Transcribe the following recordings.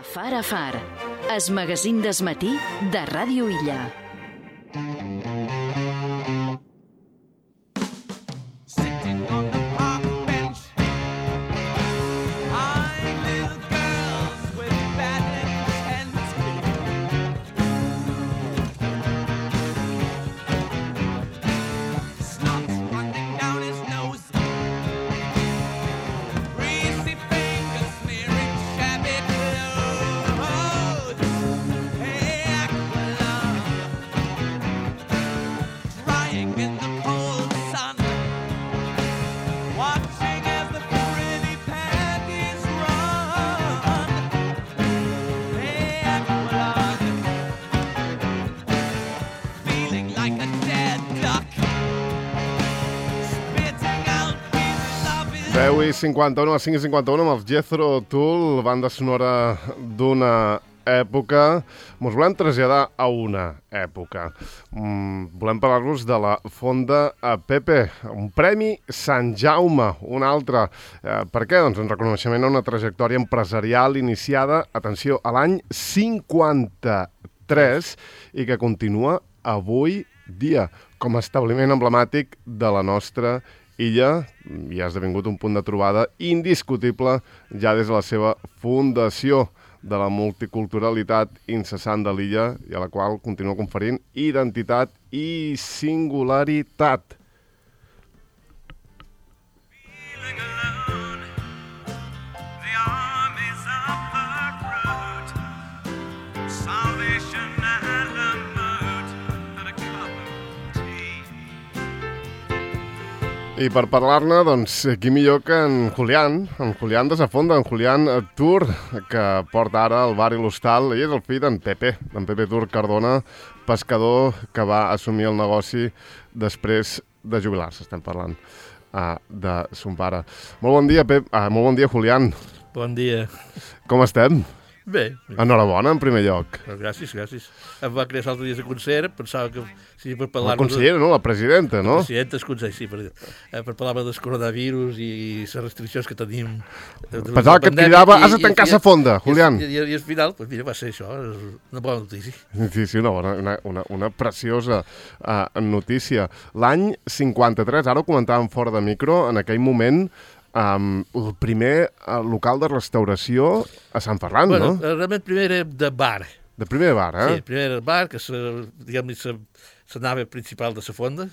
Far a Far, es magazín d'esmatí de Ràdio Illa. I 51 a 5 i 51 amb els Jethro Tull, banda sonora d'una època. Ens volem traslladar a una època. Volem parlar-vos de la Fonda Pepe, un premi Sant Jaume, un altre. Per què? Doncs en reconeixement a una trajectòria empresarial iniciada, atenció, a l'any 53 i que continua avui dia com a establiment emblemàtic de la nostra illa i ha esdevingut un punt de trobada indiscutible ja des de la seva fundació de la multiculturalitat incessant de l'illa i a la qual continua conferint identitat i singularitat. I per parlar-ne, doncs, qui millor que en Julián de sa Fonda, en Julián Tur, que porta ara el bar i l'hostal. Ell és el fill d'en Pepe Tur Cardona, pescador que va assumir el negoci després de jubilar-se. Estem parlant de son pare. Molt bon dia, molt bon dia, Julián. Bon dia. Com estem? Bé. Enhorabona, en primer lloc. Gràcies. Em va crear l'altre dia de concert, pensava que... Sí, per parlar... La consellera, no? La presidenta, no? La presidenta, el consell, sí, per parlar del coronavirus i les restriccions que tenim. Pensava que et cridava, has de tancar la fonda, Julián. I al final, doncs mira, va ser això, una bona notícia. Sí, una preciosa notícia. L'any 53, ara ho comentàvem fora de micro, en aquell moment... el primer local de restauració a Sant Ferran, no? Realment primer era de bar. De primer bar, eh? Sí, primer era bar, que diguem-ne la nave principal de la fonda.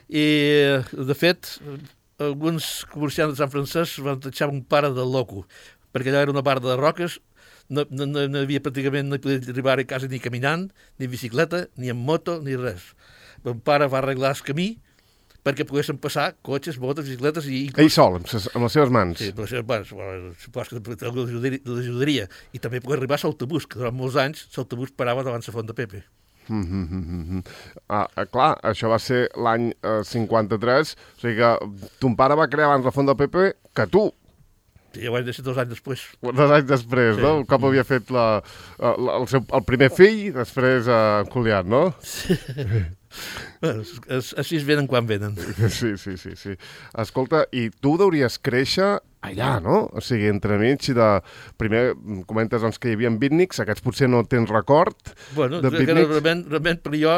I, de fet, alguns comerciants de Sant Francesc van deixar un pare de loco, perquè allò era una barra de roques, no havia pràcticament, no podia arribar a casa ni caminant, ni en bicicleta, ni en moto, ni res. Mon pare va arreglar el camí perquè poguessin passar cotxes, motos, bicicletes i... Ell sol, amb les seves mans. Sí, amb les seves mans. Supos que l'ajudaria. I també poder arribar a l'autobús, que durant molts anys l'autobús parava davant la Fonda Pepe. Clar, això va ser l'any 53, o sigui que ton pare va crear abans la Fonda Pepe que tu. Sí, ja ho vaig deixar 2 anys després. 2 anys després, sí. No? Un cop havia fet el primer fill, després Julián, no? Sí. Bueno, així venen quan venen. Sí. Escolta, i tu deuries créixer allà, no? O sigui, entremig de... Primer comentes doncs, que hi havia beatniks, aquests potser no tens record de beatniks. Realment per jo,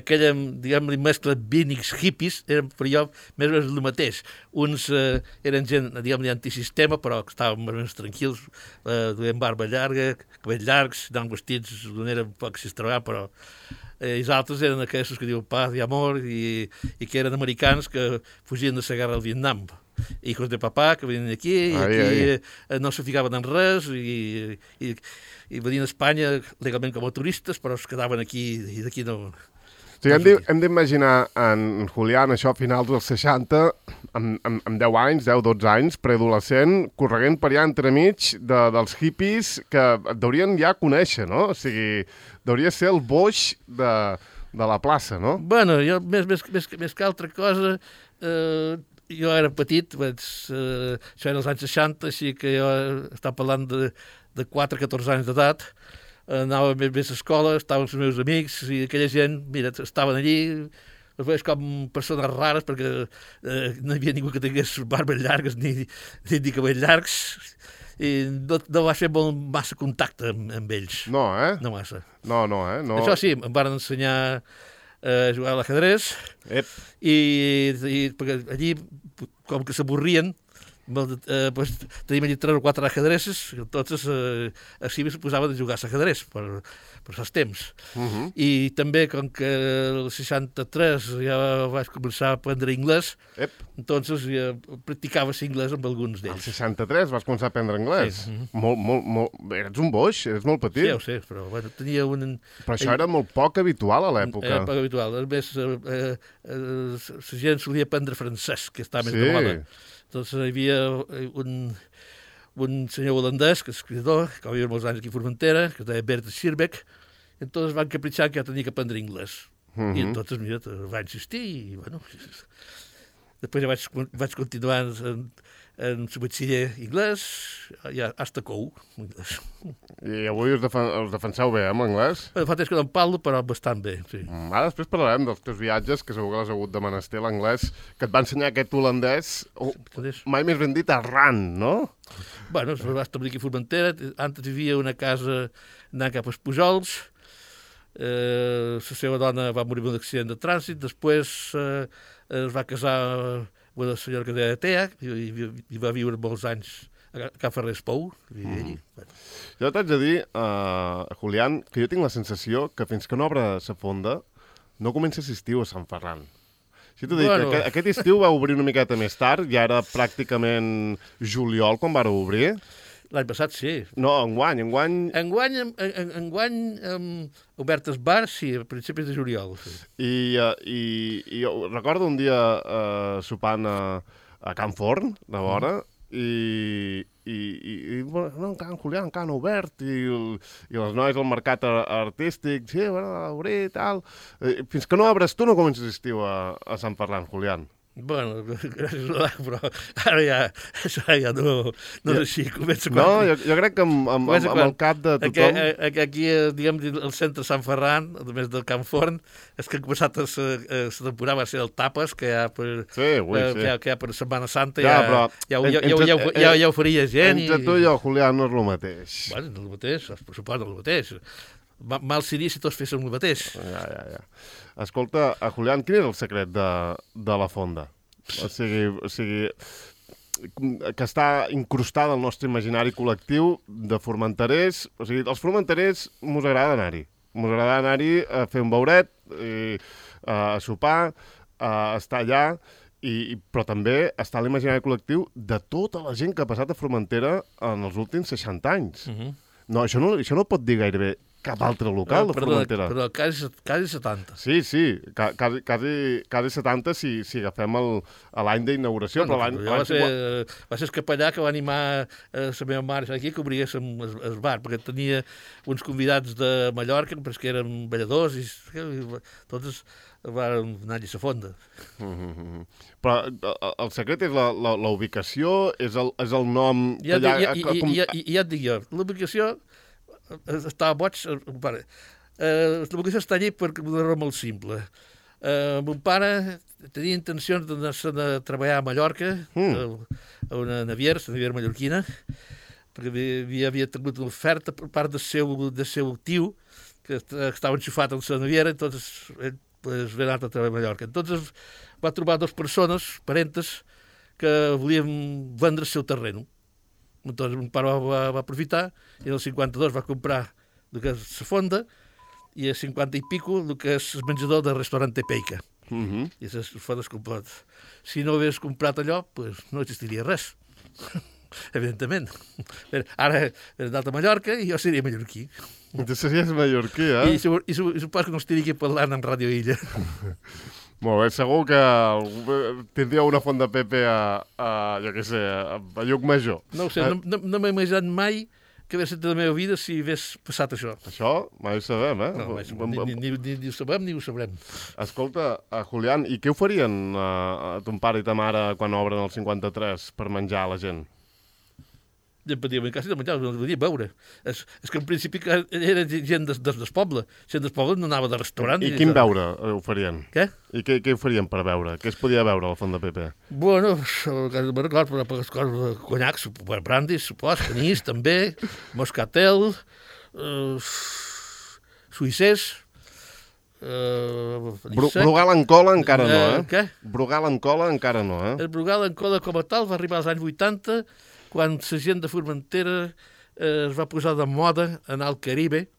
aquella, diguem-ne, mescla beatniks hippies, eren per jo més o menys el mateix. Uns eren gent, diguem-ne, antisistema, però que estaven més o menys tranquils, duien barba llarga, cabells llargs, anaven vestits d'una manera un poc extravagant, però... I els altres eren aquests que diuen paz i amor i que eren americans que fugien de la guerra al Vietnam. Hijos de papà que venien aquí i no se ficaven en res i venien a Espanya legalment com a turistes, però es quedaven aquí i d'aquí no... Sí, hem d'imaginar en Julián, això a finals dels 60, amb 10 anys, 10-12 anys, preadolescent, correguent per allà entremig dels hippies que et deurien ja conèixer, no? O sigui, deuria ser el boix de la plaça, no? Bueno, jo més que altra cosa, jo era petit, això era als anys 60, així que jo estava parlant de 4-14 anys d'edat, anava més a l'escola, estaven els meus amics i aquella gent, mira, estaven allí, els veus com persones rares, perquè no hi havia ningú que tingués barbes llargues ni cabells llargs, i no va fer massa contacte amb ells. No, No massa. No. Això sí, em van ensenyar a jugar a l'ajedrez, i perquè allí, com que s'avorrien, pues, teníem allí 3 o 4 ajedrezes, entonces així se posaven a jugar a l'ajedrez per els temps. I també, com que el 63 ja vaig començar a aprendre anglès, entonces ja practicava anglès amb alguns d'ells. Al 63 vas començar a aprendre anglès? Sí. Molt... Eres un boix, eres molt petit. Sí, ho sé, però bueno, tenia un... Però això era molt poc habitual a l'època. Era poc habitual. A més, la gent solia aprendre francès, que està més de moda. Entonces hi havia un senyor holandès, que és escritor, que va viure molts anys aquí a Formentera, que es deia Bert Schirbeck, entonces van capritxar que jo tenia que aprendre anglès. I entonces, mira, va insistir, i bueno... Després ja vaig continuar en el batxiller anglès, ja hasta COU. I avui us defenseu bé, amb l'anglès? Fa temps que no en parlo, però bastant bé, sí. Ara després parlarem dels teus viatges, que segur que l'has hagut de menester l'anglès, que et va ensenyar aquest holandès, mai més ben dit, arran, no? Bueno, es va establir aquí a Formentera, antes hi havia una casa anant cap als Pujols, la seva dona va morir en un accident de trànsit, després es va casar amb una senyora que deia Tea, i va viure molts anys a Can Ferrés Pou. Jo t'haig de dir, Julián, que jo tinc la sensació que fins que no obre la fonda no comença l'estiu a Sant Ferran. Si t'ho dic, que aquest estiu va obrir una miqueta més tard, ja era pràcticament juliol quan va obrir. L'any passat sí. No, enguany. Enguany obert el bar, sí, a principis de juliol. Sí. I jo recordo un dia sopant a Can Forn, de vora, i bueno, Can Julián, Can obert, i les noies al mercat artístic, sí, bueno, obrir i tal. Fins que no obres tu no comences l'estiu a Sant Ferran, Julián. Bueno, gràcies a l'any, però ara ja no és així. No, jo crec que amb el cap de tothom... Aquí, diguem, el centre Sant Ferran, a més del Can Forn, és que ha començat la temporada va ser el Tapes, que hi ha per Setmana Santa, ja ho faria gent. Entre tu i jo, Julián, no és el mateix. Bueno, no és el mateix, per supost, no és el mateix. Mal seria si tots féssim el mateix. Ja. Escolta, Julián, quin és el secret de la fonda? O sigui, que està incrustada al nostre imaginari col·lectiu de formenterers. O sigui, els formenterers mos agrada anar-hi. Mos agrada anar-hi a fer un beuret, a sopar, a estar allà, però també està a l'imaginari col·lectiu de tota la gent que ha passat a Formentera en els últims 60 anys. No, això no pot dir gairebé cap altre local de Formentera. Però quasi 70. Sí, quasi 70 si agafem l'any d'inauguració. Va ser el capellà que va animar la meva mare aquí que obrigués el bar, perquè tenia uns convidats de Mallorca, perquè eren balladors, i tots van anar-hi a la fonda. Però el secret és la ubicació, és el nom... Ja et dic jo, l'ubicació estava boig. L'ubicació està allí per una raó molt simple. Mon pare tenia intencions d'anar a treballar a Mallorca, a una naviera mallorquina, perquè havia tingut una oferta per part del seu tio, que estava enxufat en la naviera, entonces ell va anar a treballar a Mallorca. Entonces va trobar 2 persones, parentes, que volien vendre el seu terreno. Entonces mon pare va aprofitar i en el 52 va comprar el que és la fonda i el 50 i pico el que és el menjador del restaurant Tepeica. I les fondes complet. Si no hagués comprat allò, pues no existiria res. Evidentment. Ara he anat a Mallorca i jo seria mallorquí. Tu series mallorquí, I suposo que no estaria aquí parlant en Ràdio Illa. Molt bé, segur que tindríeu una font de Pepe jo què sé, a Llucmajor. No ho sé, no m'he imaginat mai que hagués estat la meva vida si hagués passat això. Això mai ho sabem, eh? No, ni ho sabem ni ho sabrem. Escolta, Julián, i què oferien a ton pare i ta mare quan obren el 53 per menjar a la gent? Gent podia quasi de menjar, no podia beure. És que en principi era gent del poble. Gent del poble no anava de restaurant. I quin beure oferien? Què? I què oferien per beure? Què es podia beure a la Font de Pepe? Bueno, clar, per coses, conyacs, brandis, supos, canís, també, moscatel, suïssers, Brugal en cola encara no, Què? Brugal en cola encara no, El Brugal en cola com a tal va arribar als anys 80, quan la gent de Formentera es va posar de moda anar al Caribe.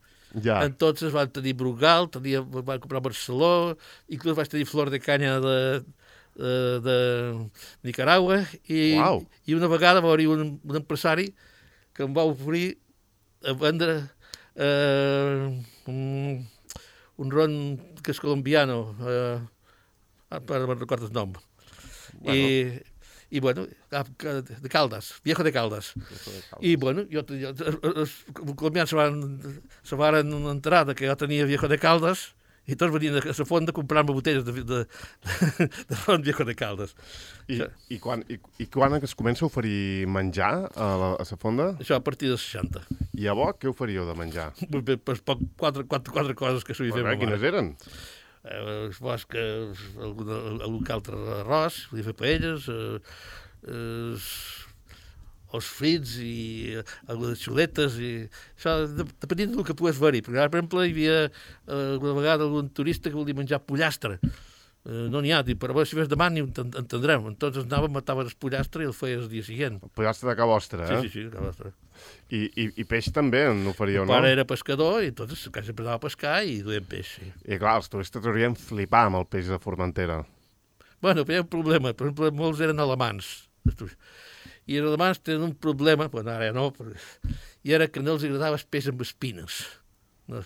Ja. Entonces van tenir Brugal, van comprar Barceló, inclús vaig tenir flor de canya de Nicaragua, i una vegada va haver un empresari que em va oferir a vendre un ron que és colombiano, no recordo el nom. Bueno. I bueno, de Caldas, Viejo de Caldas. I bueno, els colombians se van enterar que jo tenia Viejo de Caldas i tots venien a la fonda a comprar-me botelles de ron Viejo de Caldas. I quan es comença a oferir menjar a la fonda? Això a partir dels 60. I a bo, què oferíeu de menjar? Quatre coses que s'havia fet. Quines eren? Algun altre arròs, podia fer paelles, els frits i algunes xuletes, i això depenent del que pogués haver-hi. Per exemple, hi havia alguna vegada algun turista que volia menjar pollastre. No n'hi ha, però si ves demà n'hi entendrem. Entonces anàvem, matàvem el pollastre i el feia el dia següent. El pollastre de ca vostra, Sí, de ca vostra. I peix també n'oferíeu, no? El pare era pescador i entonces sempre anava a pescar i duien peix, sí. I clar, els turistes haurien flipar amb el peix de Formentera. Bueno, però hi ha un problema. Per exemple, molts eren alemans. I els alemans tenen un problema, bueno, ara ja no, i era que no els agradava el peix amb espines. No?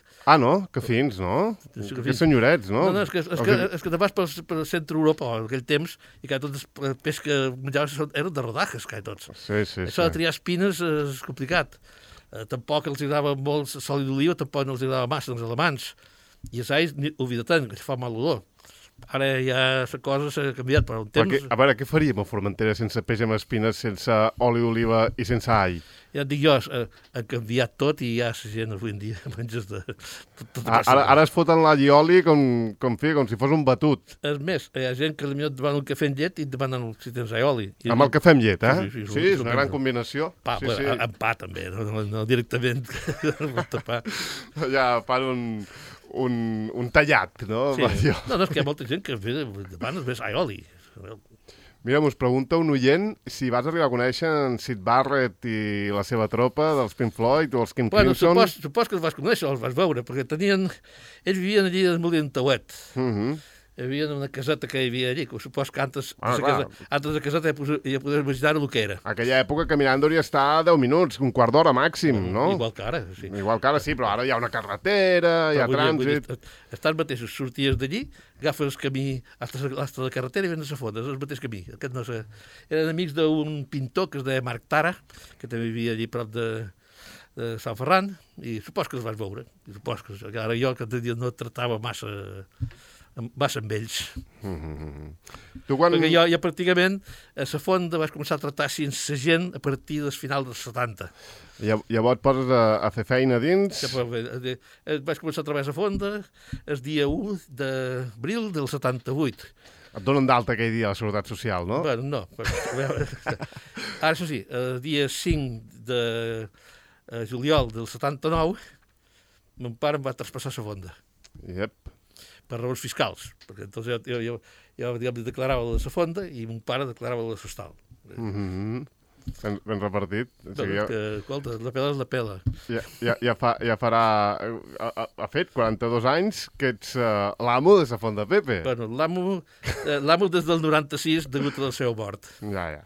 Que fins, no? Que senyorets, no? No, és que te vas pel centre d'Europa en aquell temps i que tots els peix que menjaves eren de rodajes, que tots. Sí. Això de triar espines és complicat. Tampoc els agradava molt l'oli d'oliva, tampoc no els agradava massa als alemans. I els ais, oblida-te'n, que fa mal olor. Ara ja la cosa s'ha canviat, però un temps... A veure, què faríem a Formentera sense peix amb espines, sense oli d'oliva i sense all? Ja et dic jo, ha canviat tot i ja la gent avui en dia menges de... Ara es foten l'all i oli com si fos un batut. És més, hi ha gent que potser et demanen un cafè amb llet i et demanen si tens all i oli. Amb el cafè amb llet, Sí, és una gran combinació. Amb pa també, no directament amb pa. Ja fan un tallat, no? Sí. No, és que hi ha molta gent que demana més all i oli. Mira, us pregunta un oient si vas arribar a conèixer en Syd Barrett i la seva tropa dels Pink Floyd o els King Crimson. Supos que els vas conèixer, els vas veure, perquè ells vivien allí al Molí d'en Tauet. Hi havia una caseta que hi havia allí, que supos que antes de caseta ja podies imaginar el que era. Aquella època caminant hauria estar 10 minuts, un quart d'hora màxim, no? Igual que ara, sí. Igual que ara sí, però ara hi ha una carretera, hi ha trànsit... Estàs mateixos, sorties d'allí, agafes el camí fins a la carretera i vens a la fonda, és el mateix camí. Eren amics d'un pintor que es deia Marc Tara, que també vivia allí prop de Sant Ferran, i supos que els vas veure. Supos que ara jo que no tractava massa amb ells. Perquè jo pràcticament a la fonda vaig començar a tractar sense gent a partir del final dels 70. Llavors et poses a fer feina dins? Vaig començar a treballar a la fonda el dia 1 d'abril del 78. Et donen d'alta aquell dia a la Seguretat Social, no? Bueno, no. Ara, això sí, el dia 5 de juliol del 79, mon pare em va traspassar la fonda. Yep. Per raons fiscals, perquè entonces jo declarava la fonda i mon pare declarava la sostal. Ben repartit. Escolta, la pela és la pela. Ja farà... Ha fet 42 anys que ets l'amo de la Font de Pepe. Bueno, l'amo des del 96 degut a la seva mort. Ja.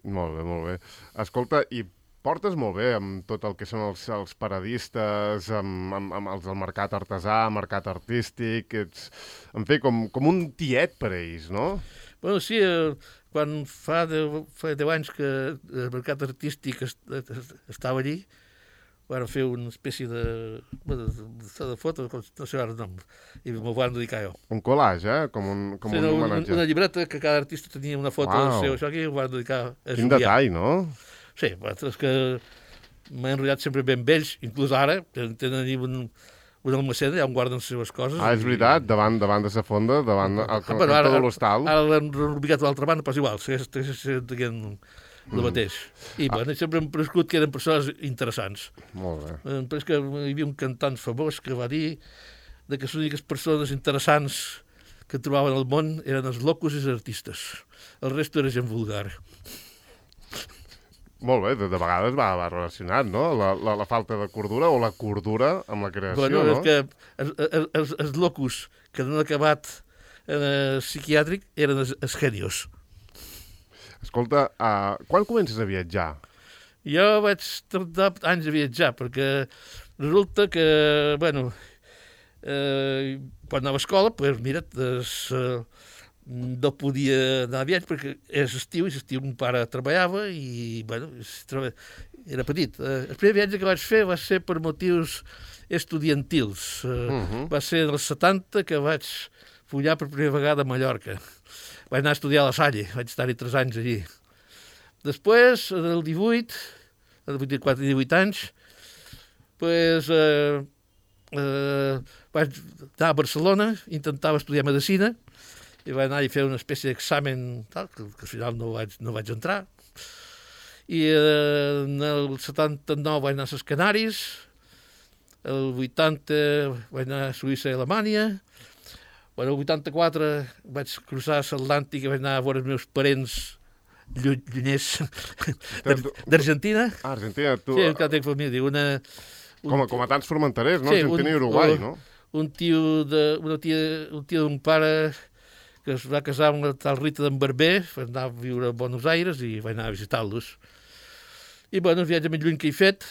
Molt bé. Escolta, i portes molt bé amb tot el que són els paradistes, amb els del mercat artesà, mercat artístic, en fi, com un tiet per a ells, no? Bueno, sí, quan fa 10 anys que el mercat artístic estava allí, van fer una espècie de foto, no sé ara el nom, i m'ho van dedicar jo. Un collage, com un homenatge. Una llibreta que cada artista tenia una foto del seu, això aquí ho van dedicar a Julià. Quin detall, no? Sí, és que m'he enrotllat sempre ben vells, inclús ara, tenen allà un almacén, allà on guarden les seves coses. És veritat, davant de la fonda, davant el cantó de l'hostal. Ara l'hem reubicat a l'altra banda, però és igual, segueix dient el mateix. I bueno, sempre hem prescut que eren persones interessants. Molt bé. Però és que hi havia un cantant famós que va dir que les úniques persones interessants que trobaven al món eren els locos i els artistes. El resto era gent vulgar. Molt bé, de vegades va relacionat, no? La falta de cordura o la cordura amb la creació, bueno, no? És que els locos que no han acabat psiquiàtric eren els genios. Escolta, quan comences a viatjar? Jo vaig tardar anys a viatjar, perquè resulta que, bueno, quan anava a escola, doncs mira, no podia anar a viatge perquè és estiu, i l'estiu mon pare treballava i, bueno, era petit. El primer viatge que vaig fer va ser per motius estudiantils. Va ser dels 70 que vaig follar per primera vegada a Mallorca. Vaig anar a estudiar a la Salle, vaig estar-hi 3 anys allí. Després, del 18, de 24 i 18 anys, doncs, vaig anar a Barcelona, intentava estudiar medicina, i vaig anar a fer una espècie d'examen, que al final no vaig entrar. I en el 79 vaig anar a les Canàries, el 80 vaig anar a Suïssa i Alemanya, el 84 vaig cruzar l'Atlàntic i vaig anar a veure els meus parents llunyers d'Argentina. Argentina, tu... Sí, encara tinc família. Com a tants formenterers, no? Sí, Argentina i Uruguai, no? Un tio d'un pare que es va casar amb la tal Rita d'en Barber, va anar a viure a Buenos Aires i vaig anar a visitar-los. I, bueno, el viatge més lluny que he fet,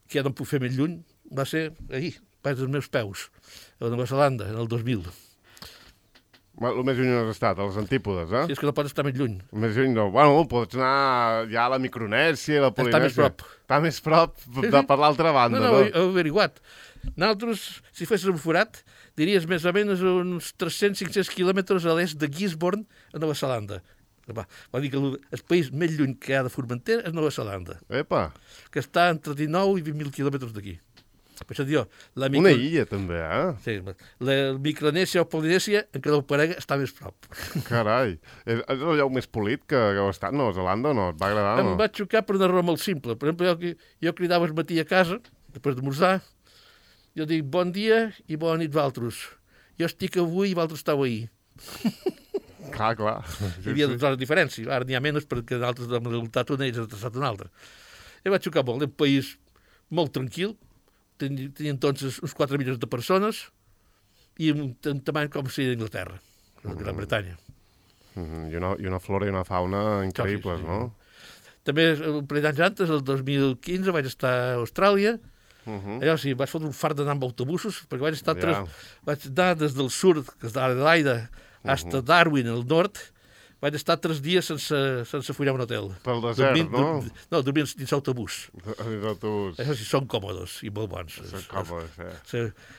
que ja no em puc fer més lluny, va ser ahir, pas dels meus peus, a Nova Zelanda, en el 2000. El més lluny has estat, a les antípodes, eh? Sí, és que no pots estar més lluny. Més lluny no. Bueno, pots anar ja a la Micronèsia, a la Polinèsia. Està més prop. Està més prop per l'altra banda, no? No, ho he averiguat. Nosaltres, si fessis un forat, diries més o menys uns 300-500 quilòmetres a l'est de Gisborne, a Nova Zelanda. Vol dir que el país més lluny que hi ha de Formentera és Nova Zelanda. Epa! Que està entre 19 i 20.000 quilòmetres d'aquí. Per això diu, una illa, també, eh? Sí, la Micronèsia o Polinèsia, encara el parega, està més prop. Carai. És el lloc més polit que heu estat, Nova Zelanda, o no? Et va agradar, o no? Em va xocar per una raó molt simple. Per exemple, jo cridava al matí a casa, després d'esmorzar, jo dic bon dia i bona nit valtros. Jo estic avui i valtros estàu ahir. Clar. Hi havia 2 hores de diferència. Ara n'hi ha menys perquè nosaltres hem resultat una i ells han traçat una altra. I va xocar molt. Un país molt tranquil, tenien tots uns 4 milions de persones i un tamany com si d'Anglaterra, la Gran Bretanya. I una flora i una fauna increïbles, no? També un parell d'anys antes, el 2015, vaig estar a Austràlia. Allò sí, vaig fotre un fart d'anar amb autobusos, perquè vaig anar des del sud, que és d'Adelaida, fins a Darwin, al nord. Vaig estar 3 dies sense follar un hotel. Pel desert, no? No, dormint dins l'autobús. Dins l'autobús. Això sí, són còmodes i molt bons. Són còmodes,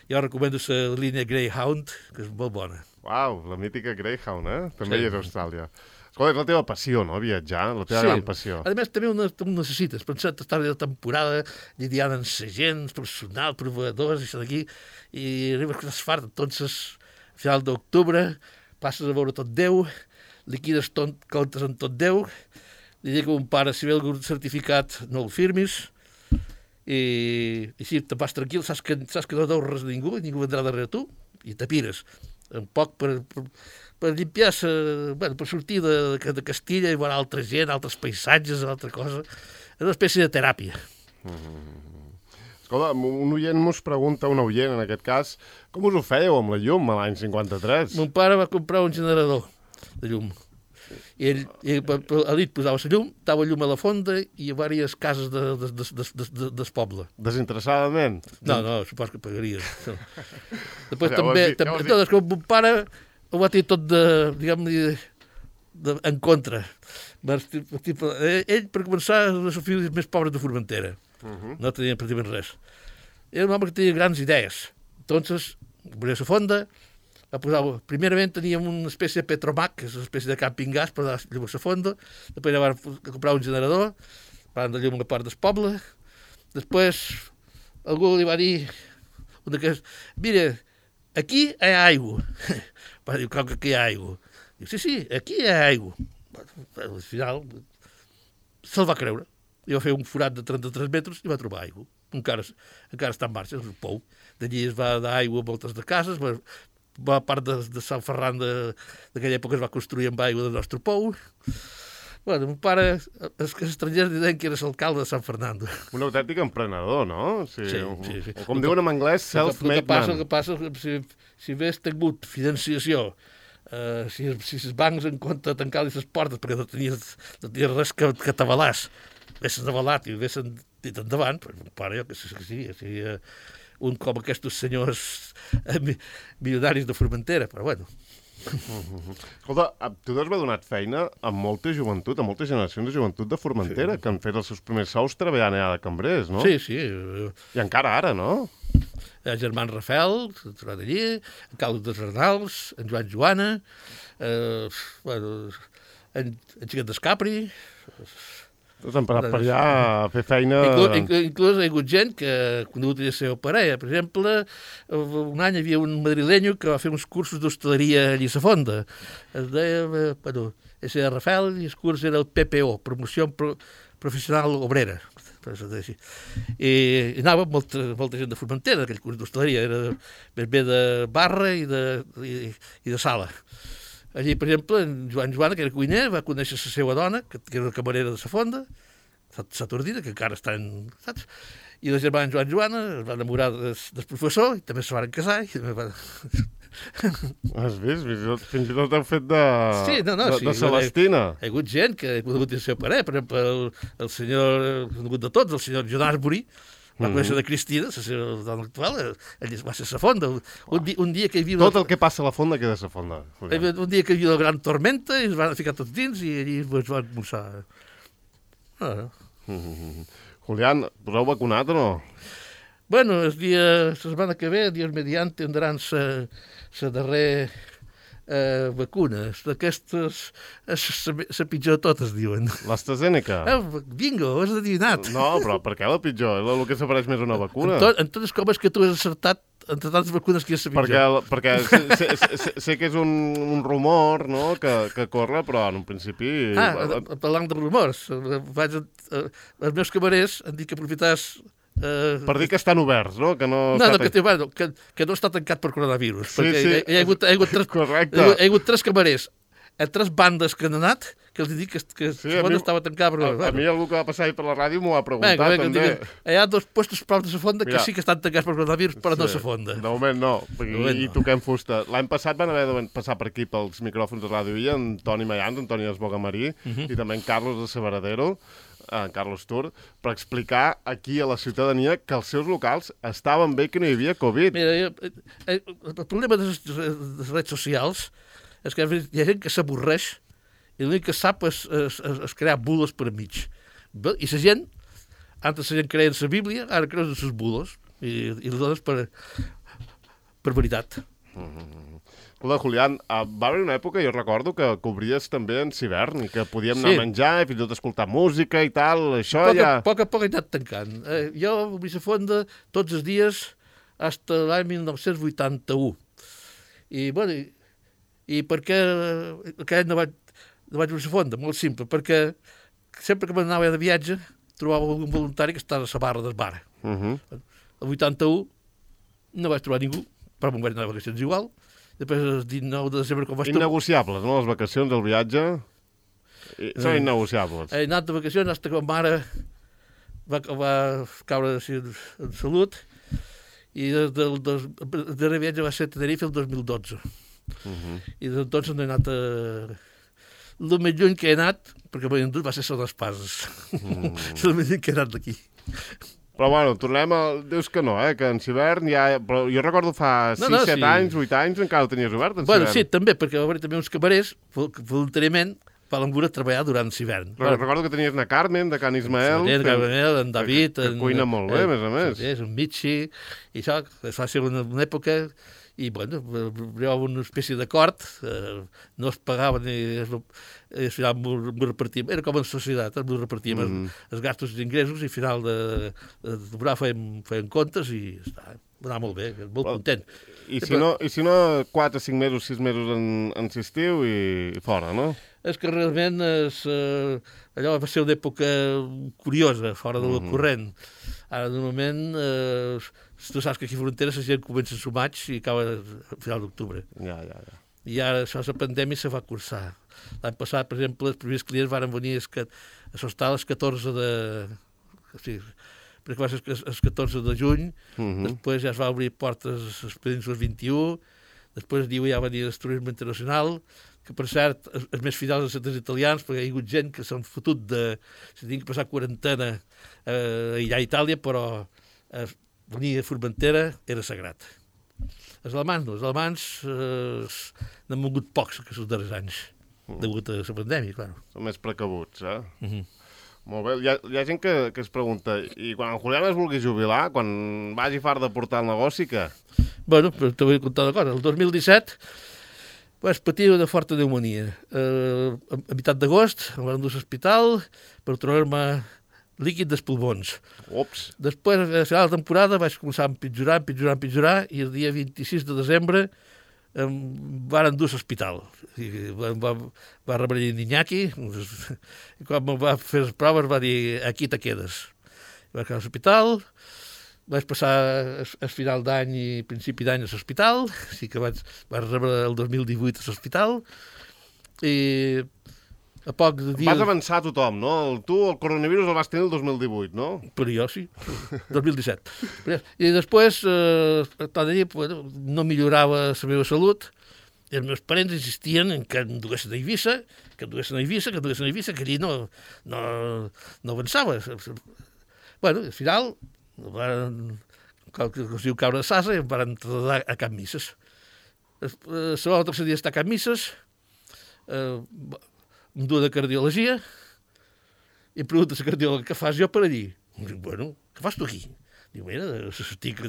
Jo recomano la línia Greyhound, que és molt bona. Uau, la mítica Greyhound, eh? També hi és a Austràlia. Escolta, és la teva passió, no?, viatjar, la teva gran passió. A més, també ho necessites. Pensar estar de temporada, lidiant amb gent, personal, proveïdors, això d'aquí, i arribes que estàs fart. Entonces, a final d'octubre, passes a veure tot Déu, liquides comptes en tot Déu, li dic a un pare, si ve algun certificat, no el firmis, i així te vas tranquil, saps que no deus res a ningú, i ningú vendrà darrere tu, i te pires. Un poc per limpiar-se, bueno, per sortir de Castilla i veure altra gent, altres paisatges, altra cosa. És una espècie de teràpia. Escolta, un oient mos pregunta, un oient en aquest cas, com us ho fèieu amb la llum a l'any 53? Mon pare va comprar un generador de llum. I ell a nit posava la llum, dava llum a la fonda i a diverses cases del poble. Desinteressadament? No, supos que pagaria. Després també, mon pare ho va tenir tot en contra. Ell, per començar, és una família més pobres de Formentera. No tenia pràcticament res. Era un home que tenia grans idees. Entonces, obria la fonda, primerament teníem una espècie de Petromac, que és una espècie de camping gas per dar llum a la fonda, després va comprar un generador, parlant de llum a la part del poble. Després algú li va dir mira, aquí hi ha aigua. Va dir, com que aquí hi ha aigua? Diu, sí, aquí hi ha aigua. Al final se'l va creure. I va fer un forat de 33 metres i va trobar aigua. Encara està en marxa, és un pou. D'allí es va dar aigua a voltes de cases, va a part de Sant Ferran d'aquella època es va construir amb aigua del nostre pou. Bueno, mon pare, els estrangers deien que era l'alcalde de Sant Fernando. Un autèntic emprenedor, no? Sí. O com El diuen en anglès, self-made man. El que passa si hagués tingut financiació, si els bancs en compte de tancar-li les portes perquè no tenies res que t'avalàs, haguessin avalat i haguessin dit endavant, però mon pare jo que seria un com aquests senyors milionaris de Formentera, però bueno. Escolta, tu has donat feina a molta joventut, a moltes generacions de joventut de Formentera, que han fet els seus primers sous treballant allà de cambrers, no? Sí. I encara ara, no? El germà Rafael, trobat allí, en Carlos de Arnals, en Joan Joana, en Xiquet d'Escapri. Tots han parat per allà a fer feina... Inclús hi ha hagut gent que ha conegut la seva parella. Per exemple, un any hi havia un madrilenyo que va fer uns cursos d'hostaleria a Lliçafonda. Es deia, ese era Rafael i el curs era el PPO, Promoció Professional Obrera. I anava molta gent de Formentera, aquell curs d'hostaleria. Era més bé de barra i de sala. Allí, per exemple, en Joan Joana, que era cuiner, va conèixer la seva dona, que era la camarera de la fonda, Saturdina, que encara està en... Saps? I la germana Joan Joana es va enamorar del professor, i també se van casar, i també va... Has vist? Fins i tot heu fet de Celestina. Hi ha hagut gent que ha conegut el seu pare, per exemple, el senyor, conegut de tots, el senyor John Asbury, va conèixer de Cristina, la seva dona actual, ell va ser a la fonda. Un dia que hi havia... Tot el que passa a la fonda queda a la fonda. Un dia que hi havia una gran tormenta i es van ficar tots dins i allí es van almorzar. Julián, us heu vacunat o no? Bueno, la setmana que ve, Dios mediante, tindran la darrera vacuna. D'aquestes, la pitjor de totes, diuen. L'AstraZeneca? Bingo, ho has adivinat. No, però per què la pitjor? És el que s'apareix més una vacuna. En totes com és que tu has acertat entre tantes vacunes que és la pitjor. Perquè sé que és un rumor, no?, que corre, però en un principi... Parlant de rumors, els meus camarers han dit que aprofitaràs... Per dir que estan oberts, no? Que no està tancat per coronavirus. Sí. Hi ha hagut tres camarers a tres bandes que han anat, que els dic que la fonda estava tancada. A mi algú que va passar ahir per la ràdio m'ho ha preguntat, també. Hi ha dos puestos prop de la fonda que sí que estan tancats per coronavirus, però no la fonda. De moment no, i toquem fusta. L'any passat van haver de passar per aquí pels micròfons de Ràdio Illa, en Toni Mayans, en Toni Esbogamarí, i també en Carlos de Sabaradero, en Carlos Tur, per explicar aquí a la ciutadania que els seus locals estaven bé, que no hi havia Covid. Mira, el problema de les redes socials és que hi ha gent que s'avorreix i l'únic que sap és crear bulos per enmig. I la gent, antes la gent creia en la Bíblia, ara creus en les bulos i les dones per veritat. Escolta, Julián, va haver una època, jo recordo, que cobries també en Civern i que podíem anar a menjar i fins i tot escoltar música i tal, això ja... A poc a poc he anat tancant. Jo a Vilafonda tots els dies fins a l'any 1981. I, bueno, i per què aquell no vaig a Vilafonda? Molt simple, perquè sempre que m'anava de viatge trobava un voluntari que estava a la barra del bar. El 81 no vaig trobar ningú, però me'n vaig anar de vacacions igual. Després, el 19 de desembre, com vaig... Innegociables, no? Les vacacions, el viatge... Són innegociables. He anat de vacacions fins que ma mare va caure en salut i el darrer viatge va ser a Tenerife el 2012. I des d'entonces no he anat el més lluny que he anat, perquè m'he endut, va ser Son Espases. És el més lluny que he anat d'aquí. Però bueno, tornem a... Dius que no, que en Civern ja... Però jo recordo fa 6, 7 anys, 8 anys, encara el tenies obert, en Civern. Bueno, sí, també, perquè va haver també uns camarers, voluntàriament, van voler treballar durant Civern. Però recordo que tenies na Carmen, de Can Ismael. Sí, Carmen, en David... Que cuina molt bé, a més a més. Sí, és un Michi, i això va ser una època... i bueno, hi havia una espècie d'acord, no es pagava ni al final m'ho repartíem, era com en societat, m'ho repartíem els gastos i ingressos, i al final de temporada feien comptes i està, va anar molt bé, molt content. I si no 4, 5 mesos, 6 mesos en l'estiu i fora, no? És que realment allò va ser una època curiosa, fora del corrent. Ara, normalment, tu saps que aquí a Frontera la gent comença a maig i acaba a final d'octubre. Ja. I ara, això, la pandèmia se va cursar. L'any passat, per exemple, els primers clients van venir a sostar les 14 de... O sigui, perquè va ser el 14 de juny, després ja es va obrir portes els Pedins el 21, després diu ja va venir el turisme internacional, que per cert, els més fidels als centres italians, perquè hi ha hagut gent que s'han fotut de... Si tinc que passar quarantena allà a Itàlia, però venir a Formentera era sagrat. Els alemanys no, els alemanys n'han mogut pocs aquests darrers anys, degut a la pandèmia, clar. Són més precabuts, Molt bé. Hi ha gent que es pregunta, i quan en Julián es vulgui jubilar, quan vagi fart de portar el negoci, què? Bueno, però te vull contar una cosa. El 2017 vaig patir una forta pneumonia. A meitat d'agost em van endur a l'hospital per trobar-me líquid dels pulmons. Ups. Després, a la final de temporada, vaig començar a empitjorar, i el dia 26 de desembre em van endur a l'hospital. Va rebre l'Iñaki, i quan em va fer les proves va dir, aquí te quedes. Vaig quedar a l'hospital, vaig passar el final d'any i principi d'any a l'hospital, així que vaig rebre el 2018 a l'hospital, i a poc de dies... Vas avançar a tothom, no? Tu el coronavirus el vas tenir el 2018, no? Però jo sí, 2017. I després, tot de dir, no millorava la meva salut, i els meus parents insistien en que em duguessin a Eivissa, que allí no avançava. Bueno, al final, com es diu caure a sasa, em van traslladar a Can Misses. El segon o tercer dia estar a Can Misses, em du de cardiologia, i em pregunta la cardiòloga, què fas jo per allí? Dic, bueno, què fas tu aquí? Diu, mira, tinc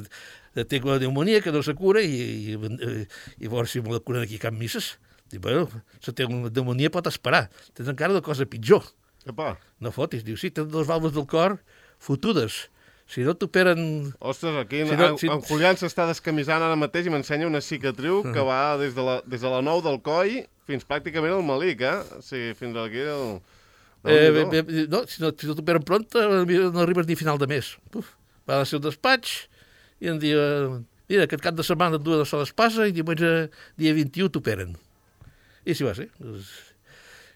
una pneumonia que no se cura i veure si me la curen aquí a Can Misses. Diu, bueno, la pneumonia pot esperar, tens encara una cosa pitjor. Epa. No fotis, diu, sí, tens dues valves del cor fotudes. Si no t'operen... Ostres, aquí en Julián s'està descamisant ara mateix i m'ensenya una cicatriu que va des de la nou del coll fins pràcticament al malic, O sigui, fins aquí no, si no t'operen pront, no arribes ni a final de mes. Va a ser un despatx i em diu, mira, aquest cap de setmana et duen a sola espasa i diumenge, dia 21, t'operen. I així va ser.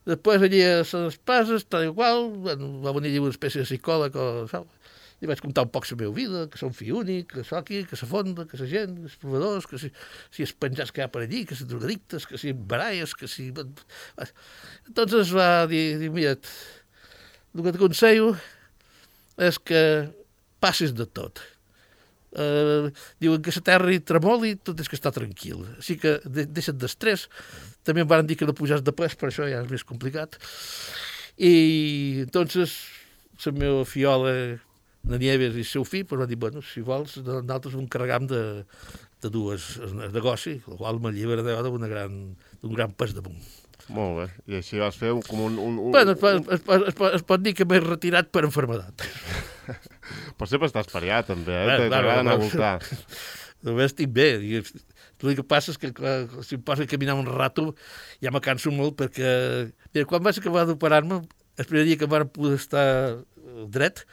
Després allí a les espases, tal igual, va venir allí una espècie de psicòleg i vaig contar un poc la meva vida, que som fill únic, que soc aquí, que la fonda, que la gent, que els proveedors, que si els penjats que hi ha per allí, que si drogadictes, que si baralles, que si... Entonces va dir, mira, el que t'aconsello és que passis de tot. Diuen que la terra hi tremoli, tot és que està tranquil. Així que deixa't d'estrès. També em van dir que no pujas de pes, per això ja és més complicat. I entonces la meva fiola de Nieves i el seu fill va dir, bueno, si vols, nosaltres ho encarregam de dues negoci, el qual m'allibera d'un gran pes damunt. Molt bé, i així vas fer com un... Bueno, es pot dir que m'he retirat per enfermedat. Però sempre estàs pariat, també, t'agrada anar a voltar. Només estic bé. El que passa és que si em poso a caminar un rato ja me canso molt perquè... Mira, quan vaig acabar d'operar-me, el primer dia que em van poder estar dret,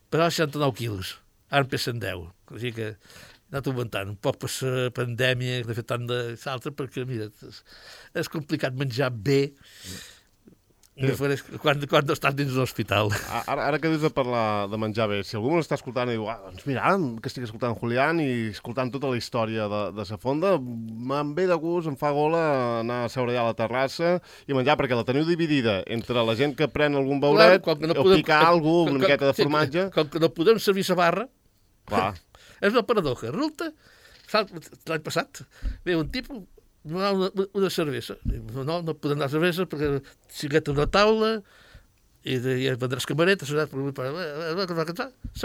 pesava 69 quilos. Ara em pesen 10. Així que he anat augmentant un poc per la pandèmia, de fer tant de salta, perquè, mira, és complicat menjar bé quan no estàs dins l'hospital. Ara que dius de parlar de menjar bé, si algú m'està escoltant i diu, doncs mira, que estic escoltant Julián i escoltant tota la història de sa fonda, me'n ve de gust, em fa gola anar a seure allà a la terrassa i menjar, perquè la teniu dividida entre la gent que pren algun beuret, o picar algú, una miqueta de formatge... Com que no podem servir la barra, clar. És una paradoja. Resulta, l'any passat, ve un tipus, una cervesa. No podem anar a cervesa perquè si gueta una taula, i vendràs camaretes, se va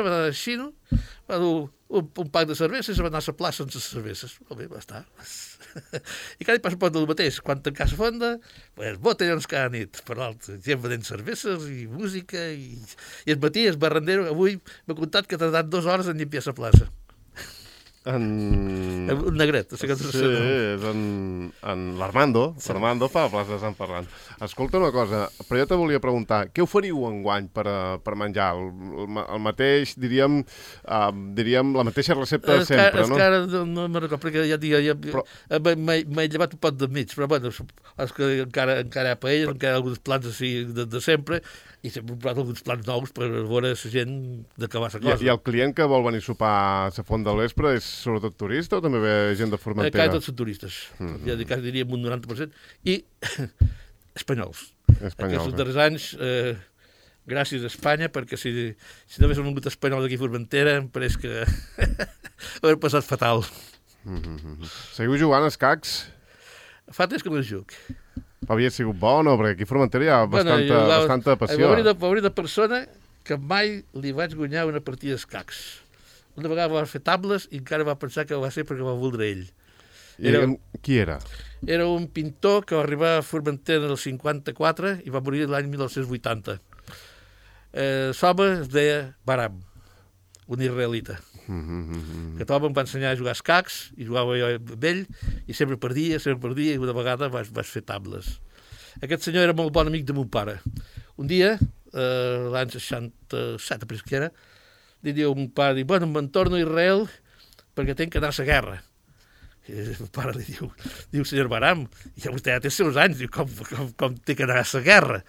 anar així, no? Va dur un pack de cerveses i se va anar a la plaça sense cerveses. Molt bé, va estar. I cada dia passa un poc del mateix. Quan tancar la fonda, pues, botellons cada nit, per l'altre. Gent venent cerveses i música. I el matí, el barrendero, avui m'ha contat que ha tardat 2 hores en llimpiar la plaça. Un negret. Sí, és en l'Armando. Sí. L'Armando fa la plaça de Sant Ferran. Escolta una cosa, però jo te volia preguntar, què oferiu enguany per menjar? El mateix, diríem, la mateixa recepta de sempre, no? És que ara no me'n recordo, perquè m'he llevat un pot de mig, però bueno, és que encara hi ha paelles, encara hi ha alguns plans així de sempre, i sempre hem provat alguns plans nous per veure la gent d'acabar la cosa. I el client que vol venir a sopar a la Font del Vespre és sobretot turista o també ve gent de Formentera? Tots són turistes, ja diríem un 90%, i espanyols. Aquests darrers anys, gràcies a Espanya, perquè si no hagués vingut espanyol d'aquí a Formentera, em pareix que hauria passat fatal. Seguiu jugant a escacs? Fa temps que no juc. Havia sigut bo, no? Perquè aquí a Formentera hi ha bastanta passió. Va haver una persona que mai li vaig guanyar una partida d'escacs. Una vegada va fer tables i encara va pensar que va ser perquè va voldre ell. Qui era? Era un pintor que va arribar a Formentera el 54 i va morir l'any 1980. L'home es deia Baram, un israelita. Que l'home em va ensenyar a jugar escacs i jugava jo amb ell i sempre perdia i una vegada vaig fer tables. Aquest senyor era molt bon amic de mon pare. Un dia, l'any 67, penso que era, li diu a mon pare, bueno, me'n torno a Israel perquè tinc que anar a la guerra. I el pare li diu, senyor Baram, ja vostè ja té els seus anys, diu, com té que anar a la guerra?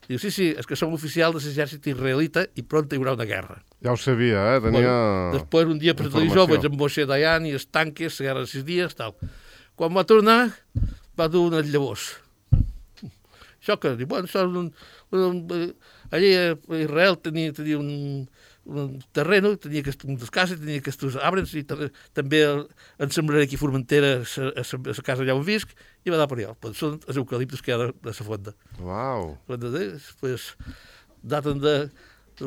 Diu, sí, és que som oficial de l'exèrcit israelita i pront hi haurà una guerra. Ja ho sabia, tenia... Després, un dia per televisió, vaig amb Moshe Dayan i els tanques, la guerra de 6 dies, tal. Quan va tornar, va dur unes llavors. Això que, diu, bueno, això allí a Israel tenia un terreno, tenia unes cases, tenia aquests arbres i també en sembraré aquí a Formentera a la casa allà on visc i va anar per allà. Són els eucaliptus que hi ha de la fonda. Uau! Pues,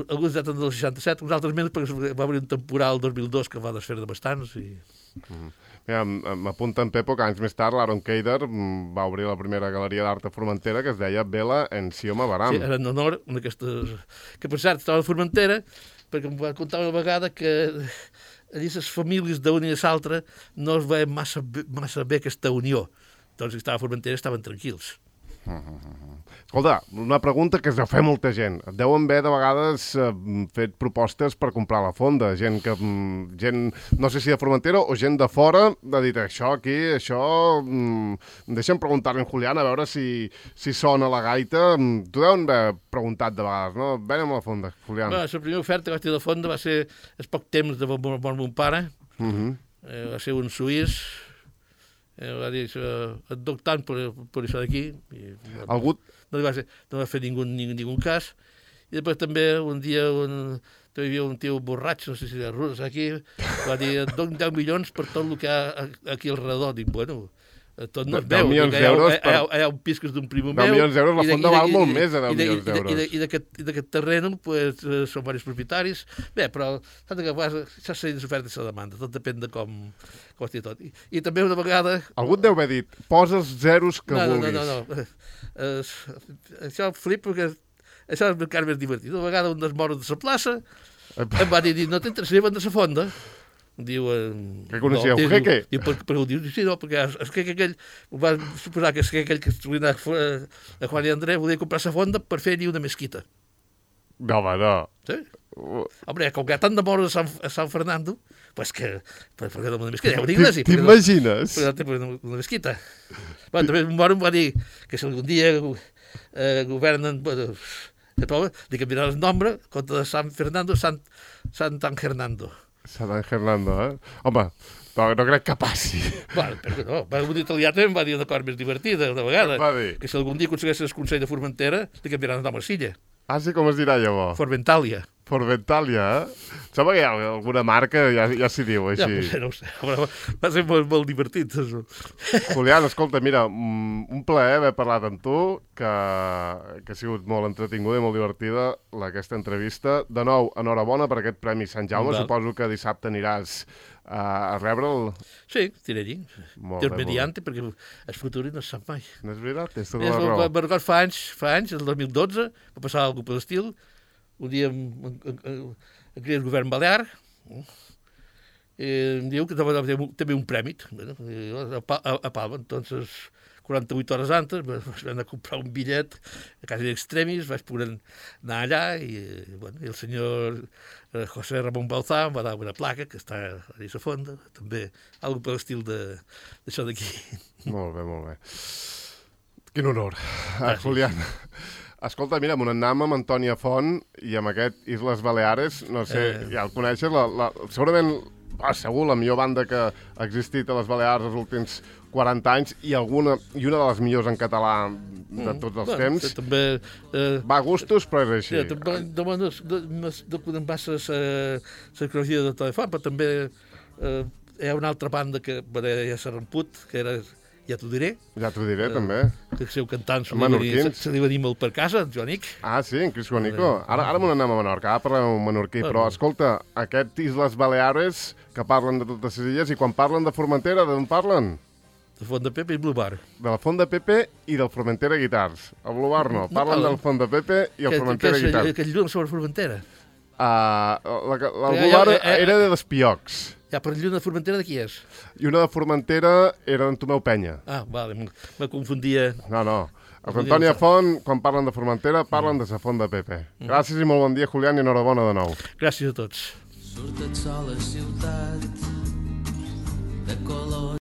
alguns daten del 67, uns altres menys perquè va haver un temporal el 2002 que va desfer de bastants i... M'apunta en Pepo que anys més tard l'Aaron Keider va obrir la primera galeria d'art a Formentera que es deia Vela en Sioma Baram. Sí, era en honor a aquestes... Que per cert, estava a Formentera perquè em va contar una vegada que allí les famílies d'una i l'altra no es veien massa bé aquesta unió. Doncs si estava a Formentera estaven tranquils. Escolta, una pregunta que es deu fer molta gent. Et deuen haver de vegades fet propostes per comprar la fonda. Gent, no sé si de Formentera o gent de fora, ha dit això aquí, això... Deixa'm preguntar-li a en Julián a veure si sona la gaita. T'ho deuen haver preguntat de vegades, no? Venem a la fonda, Julián. La primera oferta que vaig tenir de fonda va ser el poc temps de mon pare. Va ser un suís. Va dir, et doc tant per això d'aquí. No va fer ningú cas. I després també un dia hi havia un tio borratx, no sé si era rus aquí, va dir, et doc 10 milions per tot el que hi ha aquí al redor. Dic, bueno, tot no es veu. Hi ha un pis que és d'un primo meu. 10 milions d'euros, la fonda val molt més de 10 milions d'euros. I d'aquest terreny són diversos propietaris. Bé, però s'ha de això seria l'oferta i la demanda, tot depèn de com estigui tot. I també una vegada... Algú et deu haver dit, posa els zeros que vulguis. No. Això flip, perquè això és encara més divertit. Una vegada un dels moros de la plaça em va dir, no t'interessaria vendre la fonda? Diu... Que coneixia un jeque? Diu, però diu, sí, no, perquè és que aquell... Va suposar que aquell que estudia a Juan i André volia comprar la fonda per fer-hi una mesquita. No, home, no. Sí? Home, com que hi ha tant de moros a San Fernando, pues que... Per què no una mesquita? Hi ha una iglesia. T'imagines? Per una mesquita. Bueno, també un moro em va dir que si algun dia governen... El poble, li canviarà el nom, en compte de San Fernando, Sant Hernando. Sant Hernando, Home, no crec que passi. Bueno, però no. Un italià també em va dir una cosa més divertida, una vegada. Va dir? Que si algun dia aconsegueixes el Consell de Formentera, li canviaran el nom a Silla. Ah, sí, com es dirà llavors? Formentàlia. Forventalia, Sembla que hi ha alguna marca, ja s'hi diu, així. Ja, no ho sé, però va ser molt divertit. Això. Julián, escolta, mira, un plaer haver parlat amb tu, que ha sigut molt entretinguda i molt divertida aquesta entrevista. De nou, enhorabona per aquest Premi Sant Jaume. Suposo que dissabte aniràs a rebre'l. Sí, diré allí. Déu mediante, perquè el futur no es sap mai. No és veritat? Tens tota la raó. Me'n record fa anys, el 2012, va passar alguna cosa d'estil. Un dia aquí el govern balear em diu que també un premi a Palma. Entonces, 48 hores antes vaig anar a comprar un bitllet a casa d'extremis, vaig poder anar allà i el senyor José Ramón Bauzá em va dar una placa que està a la fonda, també algo per l'estil d'això d'aquí. Molt bé, molt bé. Quin honor. Julián, escolta, mira, m'anam amb Antònia Font i amb aquest Isles Baleares, no sé, ja el coneixes, segurament, segur, la millor banda que ha existit a les Balears els últims 40 anys i una de les millors en català de tots els temps. També... Va a gustos, però és així. També no podem passar la cronologia de Telefon, però també hi ha una altra banda que ja s'ha romput, que era... Ja t'ho diré. Ja t'ho diré, també. Que el seu cantant se li va dir molt per casa, en Joanic. Ah, sí, en Cris Juanico. Ara m'ho anem a Menorca, ara parlem un menorquí. Però, escolta, aquest Isles Baleares, que parlen de totes les illes, i quan parlen de Formentera, d'on parlen? De Font de Pepe i Blue Bar. De la Font de Pepe i del Formentera Guitars. El Blue Bar no, parlen del Font de Pepe i el Formentera Guitars. Que lluna sobre Formentera. El Blue Bar era de Despiocs. Ja, però lluna de Formentera de qui és? I una de Formentera era d'en Tomeu Penya. Ah, vale, me confundia. No. Els Antònia Font, quan parlen de Formentera, parlen de la Font de Pepe. Gràcies i molt bon dia, Julián, i enhorabona de nou. Gràcies a tots. Surt el sol a ciutat de color